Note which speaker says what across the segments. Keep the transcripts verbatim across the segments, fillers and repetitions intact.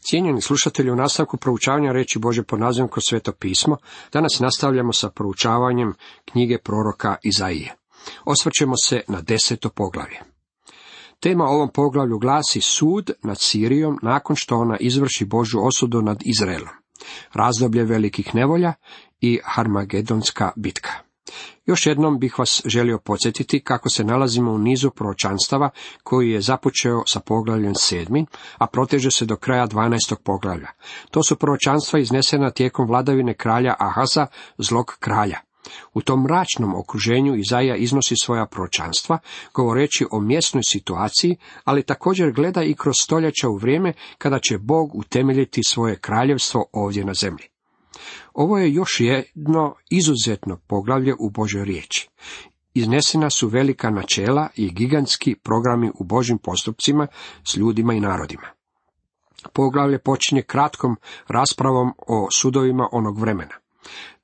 Speaker 1: Cijenjeni slušatelji, u nastavku proučavanja riječi Božje pod nazivom Kroz Sveto pismo, danas nastavljamo sa proučavanjem knjige proroka Izaije. Osvrćemo se na deseto poglavlje. Tema ovom poglavlju glasi sud nad Sirijom nakon što ona izvrši Božju osudu nad Izraelom, razdoblje velikih nevolja i Harmagedonska bitka. Još jednom bih vas želio podsjetiti kako se nalazimo u nizu proročanstava koji je započeo sa poglavljem sedmim, a proteže se do kraja dvanaestog poglavlja. To su proročanstva iznesena tijekom vladavine kralja Ahaza, zlog kralja. U tom mračnom okruženju Izaija iznosi svoja proročanstva, govoreći o mjesnoj situaciji, ali također gleda i kroz stoljeća u vrijeme kada će Bog utemeljiti svoje kraljevstvo ovdje na zemlji. Ovo je još jedno izuzetno poglavlje u Božoj riječi. Iznesena su velika načela i gigantski programi u Božjim postupcima s ljudima i narodima. Poglavlje počinje kratkom raspravom o sudovima onog vremena.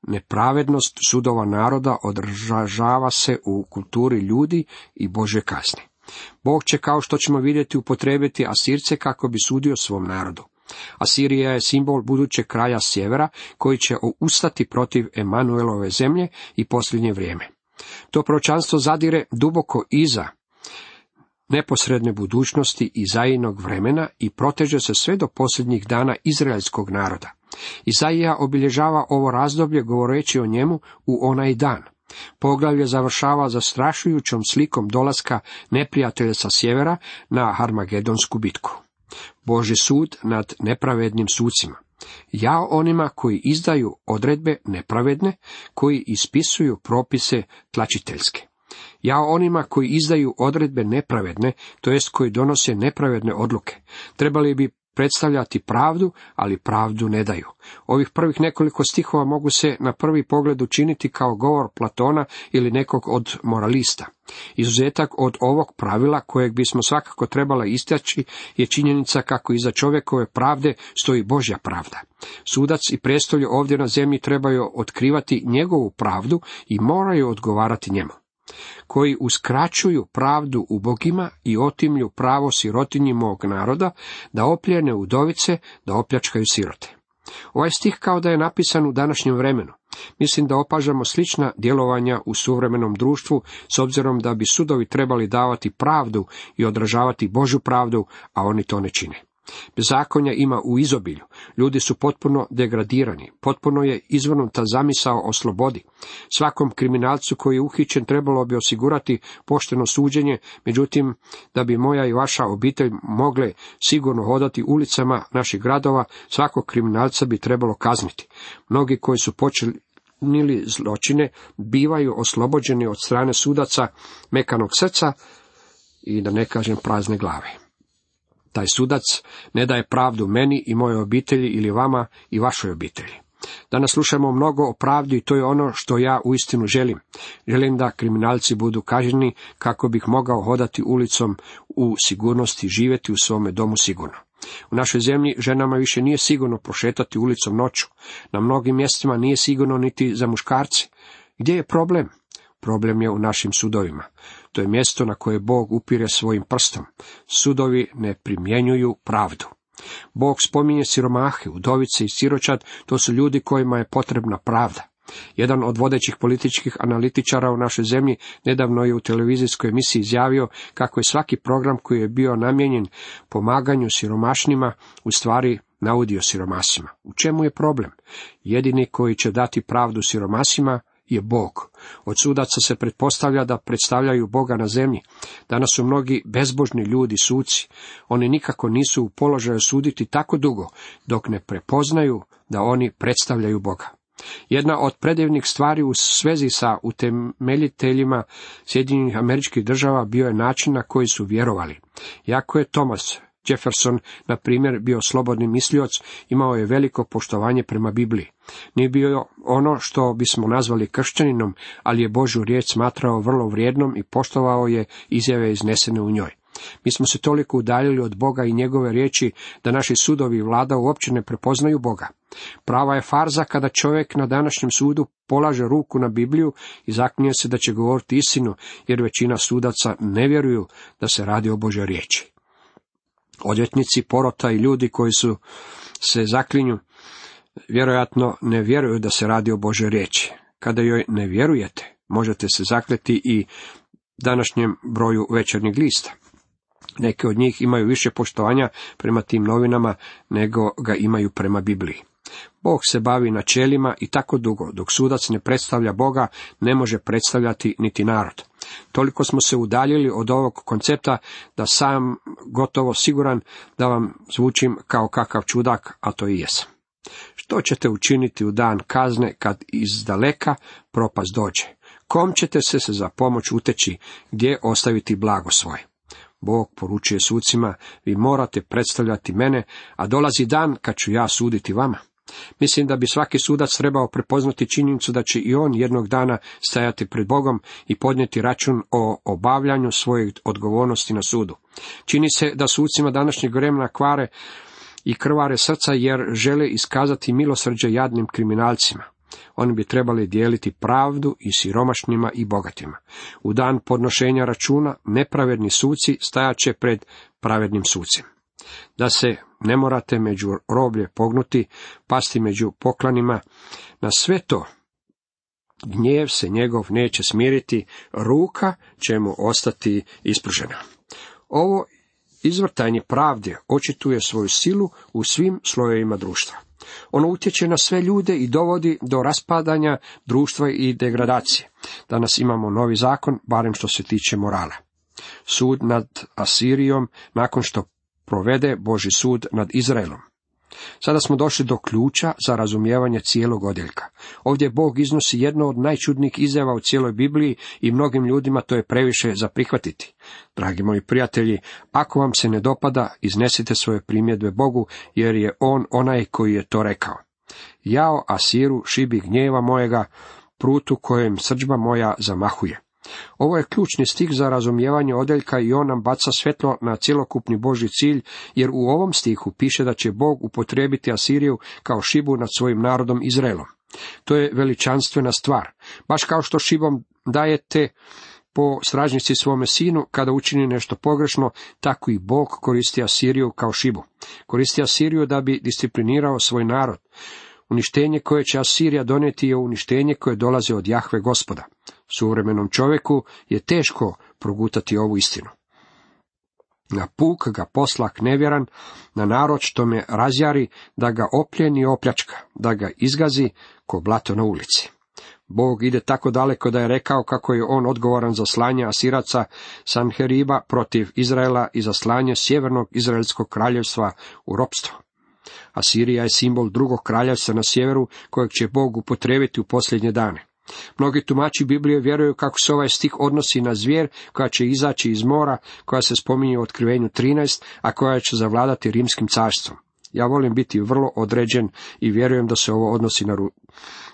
Speaker 1: Nepravednost sudova naroda odražava se u kulturi ljudi i Božje kazne. Bog će, kao što ćemo vidjeti, upotrijebiti Asirce kako bi sudio svom narodu. Asirija je simbol budućeg kraja sjevera koji će ustati protiv Emanuelove zemlje i posljednje vrijeme. To proročanstvo zadire duboko iza neposredne budućnosti Izaijinog vremena i proteže se sve do posljednjih dana izraelskog naroda. Izaija obilježava ovo razdoblje govoreći o njemu u onaj dan. Poglavlje završava zastrašujućom slikom dolaska neprijatelja sa sjevera na Harmagedonsku bitku. Božji sud nad nepravednim sucima. Jao onima koji izdaju odredbe nepravedne, koji ispisuju propise tlačiteljske. Jao onima koji izdaju odredbe nepravedne, to jest koji donose nepravedne odluke. Trebali bi predstavljati pravdu, ali pravdu ne daju. Ovih prvih nekoliko stihova mogu se na prvi pogled učiniti kao govor Platona ili nekog od moralista. Izuzetak od ovog pravila, kojeg bismo svakako trebali istaći, je činjenica kako iza čovjekove pravde stoji Božja pravda. Sudac i prijestolje ovdje na zemlji trebaju otkrivati njegovu pravdu i moraju odgovarati njemu. Koji uskraćuju pravdu ubogima i otimlju pravo sirotinji mog naroda, da opljene udovice, da opljačkaju sirote. Ovaj stih kao da je napisan u današnjem vremenu. Mislim da opažamo slična djelovanja u suvremenom društvu, s obzirom da bi sudovi trebali davati pravdu i odražavati Božju pravdu, a oni to ne čine. Bezakonja ima u izobilju. Ljudi su potpuno degradirani. Potpuno je izvrnuta zamisao o slobodi. Svakom kriminalcu koji je uhićen trebalo bi osigurati pošteno suđenje, međutim, da bi moja i vaša obitelj mogle sigurno hodati ulicama naših gradova, svakog kriminalca bi trebalo kazniti. Mnogi koji su počinili zločine bivaju oslobođeni od strane sudaca mekanog srca i da ne kažem prazne glave. Taj sudac ne daje pravdu meni i mojoj obitelji ili vama i vašoj obitelji. Danas slušamo mnogo o pravdi i to je ono što ja uistinu želim. Želim da kriminalci budu kažnjeni kako bih mogao hodati ulicom u sigurnosti i živjeti u svome domu sigurno. U našoj zemlji ženama više nije sigurno prošetati ulicom noću. Na mnogim mjestima nije sigurno niti za muškarce. Gdje je problem? Problem je u našim sudovima. To je mjesto na koje Bog upire svojim prstom. Sudovi ne primjenjuju pravdu. Bog spominje siromahe, udovice i siročad, to su ljudi kojima je potrebna pravda. Jedan od vodećih političkih analitičara u našoj zemlji nedavno je u televizijskoj emisiji izjavio kako je svaki program koji je bio namijenjen pomaganju siromašnima u stvari naudio siromasima. U čemu je problem? Jedini koji će dati pravdu siromasima je Bog. Od sudaca se pretpostavlja da predstavljaju Boga na zemlji. Danas su mnogi bezbožni ljudi suci. Oni nikako nisu u položaju suditi tako dugo, dok ne prepoznaju da oni predstavljaju Boga. Jedna od predivnih stvari u svezi sa utemeljiteljima Sjedinjenih Američkih Država bio je način na koji su vjerovali. Jako je Thomas Jefferson, na primjer, bio slobodni mislioc, imao je veliko poštovanje prema Bibliji. Nije bio ono što bismo nazvali kršćaninom, ali je Božju riječ smatrao vrlo vrijednom i poštovao je izjave iznesene u njoj. Mi smo se toliko udaljili od Boga i njegove riječi da naši sudovi i vlada uopće ne prepoznaju Boga. Prava je farza kada čovjek na današnjem sudu polaže ruku na Bibliju i zaklinje se da će govoriti istinu, jer većina sudaca ne vjeruju da se radi o Božjoj riječi. Odvjetnici, porota i ljudi koji su se zaklinju, vjerojatno ne vjeruju da se radi o Božoj riječi. Kada joj ne vjerujete, možete se zakleti i današnjem broju Večernjeg lista. Neke od njih imaju više poštovanja prema tim novinama nego ga imaju prema Bibliji. Bog se bavi načelima i tako dugo, dok sudac ne predstavlja Boga, ne može predstavljati niti narod. Toliko smo se udaljili od ovog koncepta da sam gotovo siguran da vam zvučim kao kakav čudak, a to i jesam. Što ćete učiniti u dan kazne kad iz daleka propast dođe? Kom ćete se za pomoć uteći, gdje ostaviti blago svoje? Bog poručuje sucima, vi morate predstavljati mene, a dolazi dan kad ću ja suditi vama. Mislim da bi svaki sudac trebao prepoznati činjenicu da će i on jednog dana stajati pred Bogom i podnijeti račun o obavljanju svojih odgovornosti na sudu. Čini se da sucima današnjeg vremena kvare i krvare srca jer žele iskazati milosrđe jadnim kriminalcima. Oni bi trebali dijeliti pravdu i siromašnima i bogatima. U dan podnošenja računa nepravedni suci stajaće pred pravednim sucem. Da se ne morate među roblje pognuti, pasti među poklanima, na sve to gnjev se njegov neće smiriti, ruka će mu ostati ispružena. Ovo izvrtanje pravde očituje svoju silu u svim slojevima društva. Ono utječe na sve ljude i dovodi do raspadanja društva i degradacije. Danas imamo novi zakon, barem što se tiče morala. Sud nad Asirijom nakon što provede Božji sud nad Izraelom. Sada smo došli do ključa za razumijevanje cijelog odjeljka. Ovdje Bog iznosi jedno od najčudnijih izjava u cijeloj Bibliji i mnogim ljudima to je previše za prihvatiti. Dragi moji prijatelji, ako vam se ne dopada, iznesite svoje primjedbe Bogu, jer je On onaj koji je to rekao. Jao Asiru, šibi gnjeva mojega, prutu kojem srdžba moja zamahuje. Ovo je ključni stih za razumijevanje odjeljka i on nam baca svjetlo na cjelokupni Božji cilj, jer u ovom stihu piše da će Bog upotrijebiti Asiriju kao šibu nad svojim narodom Izraelom. To je veličanstvena stvar. Baš kao što šibom dajete po stražnici svome sinu kada učini nešto pogrešno, tako i Bog koristi Asiriju kao šibu. Koristi Asiriju da bi disciplinirao svoj narod. Uništenje koje će Asirija donijeti je uništenje koje dolazi od Jahve Gospoda. Suvremenom čovjeku je teško progutati ovu istinu. Na puk ga poslak nevjeran, na narod što me razjari, da ga opljeni i opljačka, da ga izgazi ko blato na ulici. Bog ide tako daleko da je rekao kako je on odgovoran za slanje Asiraca Sanheriba protiv Izraela i za slanje sjevernog izraelskog kraljevstva u ropstvo. Asirija je simbol drugog kraljevstva na sjeveru kojeg će Bog upotrijebiti u posljednje dane. Mnogi tumači Biblije vjeruju kako se ovaj stih odnosi na zvijer koja će izaći iz mora, koja se spominje u Otkrivenju trinaest, a koja će zavladati rimskim carstvom. Ja volim biti vrlo određen i vjerujem da se ovo odnosi na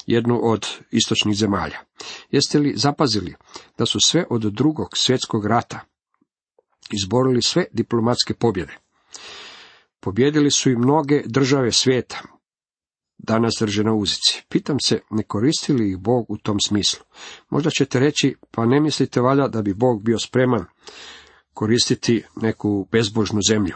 Speaker 1: jednu od istočnih zemalja. Jeste li zapazili da su sve od drugog svjetskog rata izborili sve diplomatske pobjede? Pobjedili su i mnoge države svijeta. Danas drže na uzici. Pitam se, ne koristi li ih Bog u tom smislu? Možda ćete reći, pa ne mislite valjda da bi Bog bio spreman koristiti neku bezbožnu zemlju.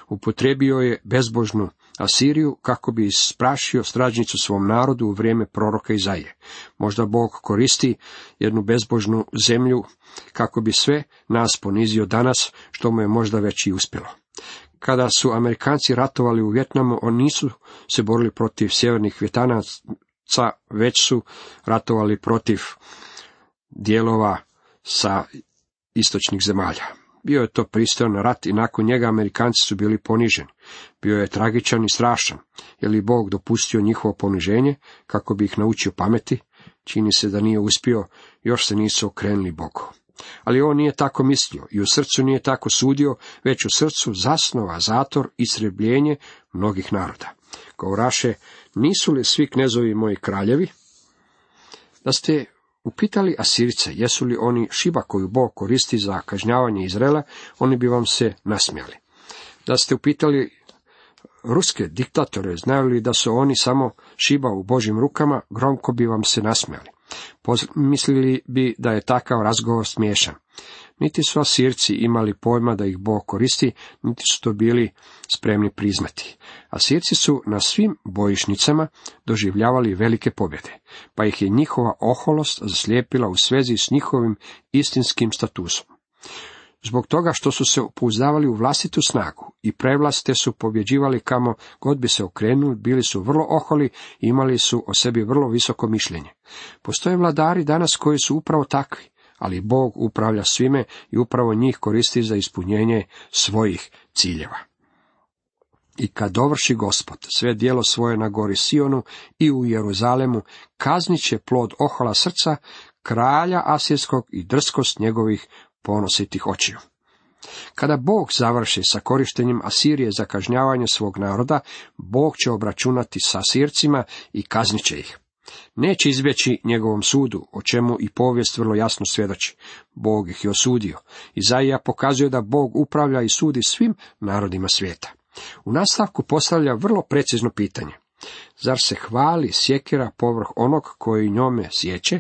Speaker 1: Upotrijebio je bezbožnu Asiriju kako bi isprašio stražnicu svom narodu u vrijeme proroka Izaije. Možda Bog koristi jednu bezbožnu zemlju kako bi sve nas ponizio danas, što mu je možda već i uspjelo. Kada su Amerikanci ratovali u Vijetnamu, oni nisu se borili protiv sjevernih Vjetnamaca, već su ratovali protiv dijelova sa istočnih zemalja. Bio je to pristojan rat i nakon njega Amerikanci su bili poniženi. Bio je tragičan i strašan. Je li Bog dopustio njihovo poniženje kako bi ih naučio pameti? Čini se da nije uspio, još se nisu okrenuli Bogu. Ali on nije tako mislio i u srcu nije tako sudio, već u srcu zasnova zator i istrebljenje mnogih naroda. Govoraše, nisu li svi knezovi moji kraljevi? Da ste upitali Asirice, jesu li oni šiba koju Bog koristi za kažnjavanje Izraela, oni bi vam se nasmijali. Da ste upitali ruske diktatore, znaju li da su oni samo šiba u Božjim rukama, gromko bi vam se nasmijali. Mislili bi da je takav razgovor smiješan. Niti su Asirci imali pojma da ih Bog koristi, niti su to bili spremni priznati. Asirci su na svim bojišnicama doživljavali velike pobjede, pa ih je njihova oholost zaslijepila u svezi s njihovim istinskim statusom. Zbog toga što su se pouzdavali u vlastitu snagu i prevlast, te su pobjeđivali kamo god bi se okrenuli, bili su vrlo oholi i imali su o sebi vrlo visoko mišljenje. Postoje vladari danas koji su upravo takvi, ali Bog upravlja svime i upravo njih koristi za ispunjenje svojih ciljeva. I kad dovrši Gospod sve djelo svoje na gori Sionu i u Jeruzalemu, kaznit će plod ohola srca, kralja asirskog i drskost njegovih ponositih očiju. Kada Bog završi sa korištenjem Asirije za kažnjavanje svog naroda, Bog će obračunati sa Asircima i kaznit će ih. Neće izbjeći njegovom sudu, o čemu i povijest vrlo jasno svjedoči. Bog ih je osudio. Izaija pokazuje da Bog upravlja i sudi svim narodima svijeta. U nastavku postavlja vrlo precizno pitanje. Zar se hvali sjekira povrh onog koji njome sječe?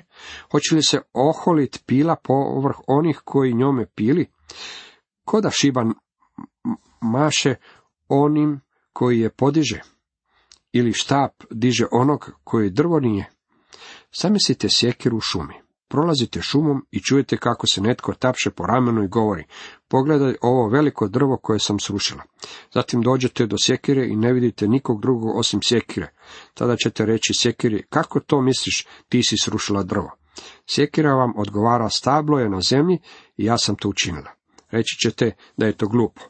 Speaker 1: Hoće li se oholit pila povrh onih koji njome pili? Ko da šiban maše onim koji je podiže? Ili štap diže onog koji drvo nije? Zamislite sjekiru u šumi. Prolazite šumom i čujete kako se netko tapše po ramenu i govori: pogledaj ovo veliko drvo koje sam srušila. Zatim dođete do sjekire i ne vidite nikog drugog osim sjekire. Tada ćete reći sjekiri: kako to misliš, ti si srušila drvo? Sjekira vam odgovara: stablo je na zemlji i ja sam to učinila. Reći ćete da je to glupo.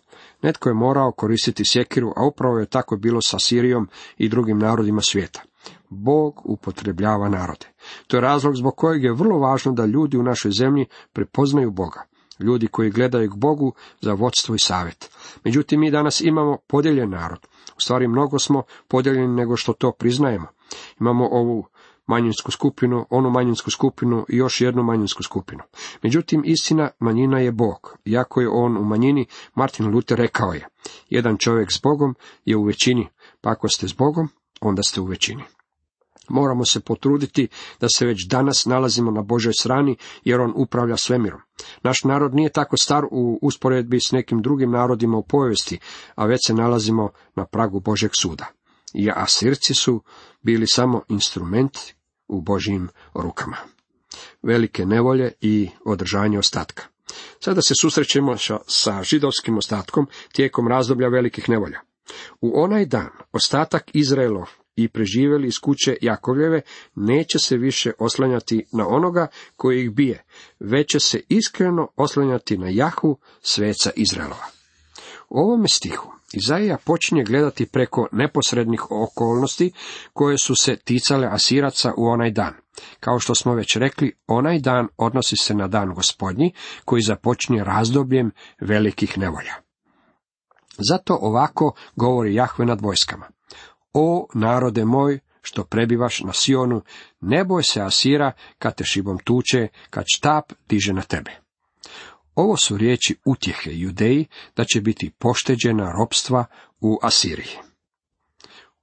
Speaker 1: Netko je morao koristiti sjekiru, a upravo je tako bilo sa Sirijom i drugim narodima svijeta. Bog upotrebljava narode. To je razlog zbog kojeg je vrlo važno da ljudi u našoj zemlji prepoznaju Boga. Ljudi koji gledaju k Bogu za vodstvo i savjet. Međutim, mi danas imamo podijeljen narod. U stvari, mnogo smo podijeljeni nego što to priznajemo. Imamo ovu manjinsku skupinu, onu manjinsku skupinu i još jednu manjinsku skupinu. Međutim, istina, manjina je Bog. Iako je on u manjini, Martin Luther rekao je: jedan čovjek s Bogom je u većini, pa ako ste s Bogom, onda ste u većini. Moramo se potruditi da se već danas nalazimo na Božoj strani, jer on upravlja svemirom. Naš narod nije tako star u usporedbi s nekim drugim narodima u povijesti, a već se nalazimo na pragu Božjeg suda. I Asirci su bili samo instrument u Božjim rukama. Velike nevolje i održanje ostatka. Sada se susrećemo sa židovskim ostatkom tijekom razdoblja velikih nevolja. U onaj dan ostatak Izraelov i preživjeli iz kuće Jakovljeve neće se više oslanjati na onoga koji ih bije, već će se iskreno oslanjati na Jahvu, sveca Izraelova. U ovome stihu Izaija počinje gledati preko neposrednih okolnosti koje su se ticale Asiraca u onaj dan. Kao što smo već rekli, onaj dan odnosi se na dan Gospodnji koji započinje razdobljem velikih nevolja. Zato ovako govori Jahve nad vojskama: o narode moj, što prebivaš na Sionu, ne boj se Asira kad te šibom tuče, kad štap diže na tebe. Ovo su riječi utjehe Judeji da će biti pošteđena ropstva u Asiriji.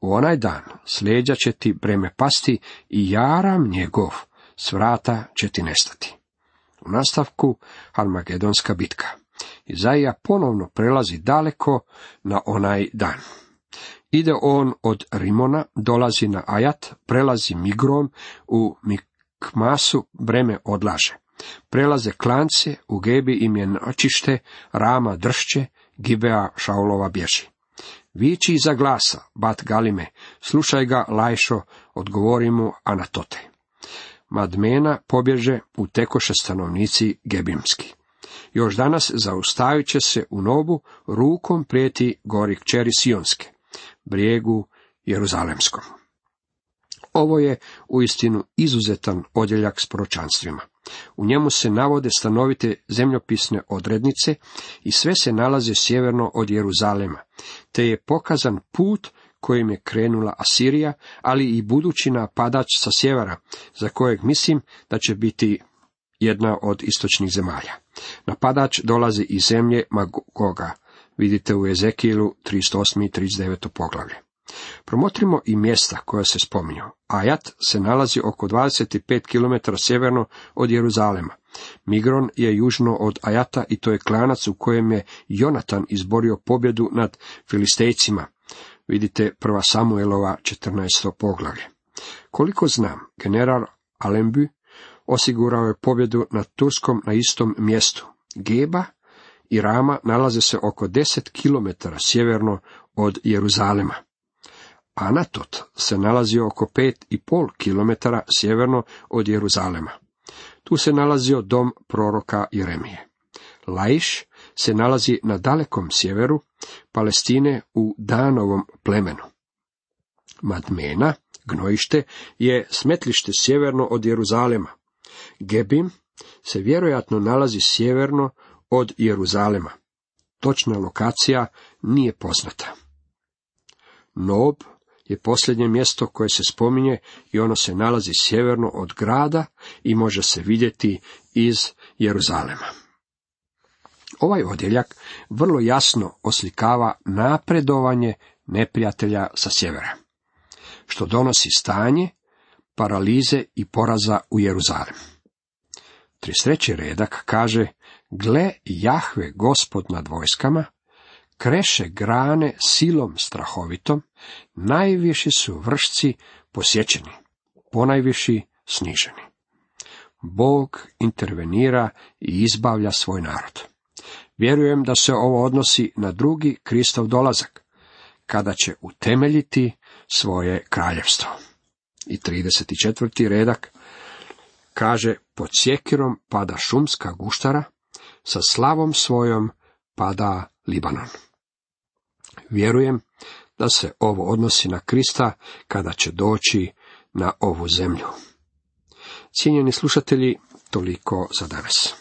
Speaker 1: U onaj dan s leđa će ti breme pasti i jaram njegov s vrata će ti nestati. U nastavku Armagedonska bitka. Izaija ponovno prelazi daleko na onaj dan. Ide on od Rimona, dolazi na Ajat, prelazi Migron, u Mikmasu breme odlaže. Prelaze klance, u Gebi im je noćište, Rama dršće, Gibea Šaulova bježi. Viči iza glasa, Bat Galime, slušaj ga, Lajšo, odgovori mu Anatote. Madmena pobježe, utekoše stanovnici Gebimski. Još danas zaustavit će se u Nobu, rukom prijeti gori kćeri Sionske, brijegu Jeruzalemskom. Ovo je uistinu izuzetan odjeljak s proročanstvima. U njemu se navode stanovite zemljopisne odrednice i sve se nalaze sjeverno od Jeruzalema, te je pokazan put kojim je krenula Asirija, ali i budući napadač sa sjevera, za kojeg mislim da će biti jedna od istočnih zemalja. Napadač dolazi iz zemlje Magoga, vidite u Ezekielu trideset osmo i trideset deveto poglavlje. Promotrimo i mjesta koja se spominju. Ajat se nalazi oko dvadeset pet kilometara sjeverno od Jeruzalema. Migron je južno od Ajata i to je klanac u kojem je Jonatan izborio pobjedu nad Filistejcima. Vidite prva Samuelova četrnaesto poglavlje. Koliko znam, general Allenby osigurao je pobjedu nad Turskom na istom mjestu. Geba i Rama nalaze se oko deset kilometara sjeverno od Jeruzalema. Anatot se nalazi oko pet i pol kilometara sjeverno od Jeruzalema. Tu se nalazio dom proroka Jeremije. Laiš se nalazi na dalekom sjeveru Palestine u Danovom plemenu. Madmena, gnojište, je smetlište sjeverno od Jeruzalema. Gebim se vjerojatno nalazi sjeverno od Jeruzalema. Točna lokacija nije poznata. Nob je posljednje mjesto koje se spominje i ono se nalazi sjeverno od grada i može se vidjeti iz Jeruzalema. Ovaj odjeljak vrlo jasno oslikava napredovanje neprijatelja sa sjevera, što donosi stanje paralize i poraza u Jeruzalem. trideset treći redak kaže: Gle, Jahve, Gospod nad vojskama, kreše grane silom strahovitom, najviši su vršci posjećeni, ponajviši sniženi. Bog intervenira i izbavlja svoj narod. Vjerujem da se ovo odnosi na drugi Kristov dolazak, kada će utemeljiti svoje kraljevstvo. I trideset četvrti redak kaže: pod sjekirom pada šumska guštara, sa slavom svojom pada Libanon. Vjerujem da se ovo odnosi na Krista kada će doći na ovu zemlju. Cijenjeni slušatelji, toliko za danas.